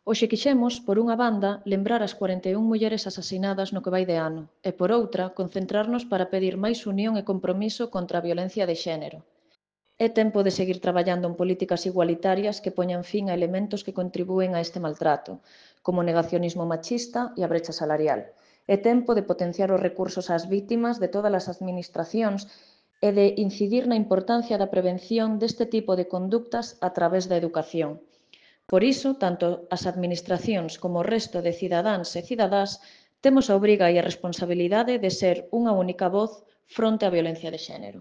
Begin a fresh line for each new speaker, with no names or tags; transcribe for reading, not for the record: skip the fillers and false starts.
Hoxe quixemos, por unha banda, lembrar as 41 mulleres asasinadas no que vai de ano e, por outra, concentrarnos para pedir máis unión e compromiso contra a violencia de xénero. É tempo de seguir traballando en políticas igualitarias que poñan fin a elementos que contribúen a este maltrato, como o negacionismo machista e a brecha salarial. É tempo de potenciar os recursos ás vítimas de todas as administracións e de incidir na importancia da prevención deste tipo de conductas a través da educación. Por iso, tanto as administracións como o resto de cidadáns e cidadás temos a obriga e a responsabilidade de ser unha única voz fronte á violencia de xénero.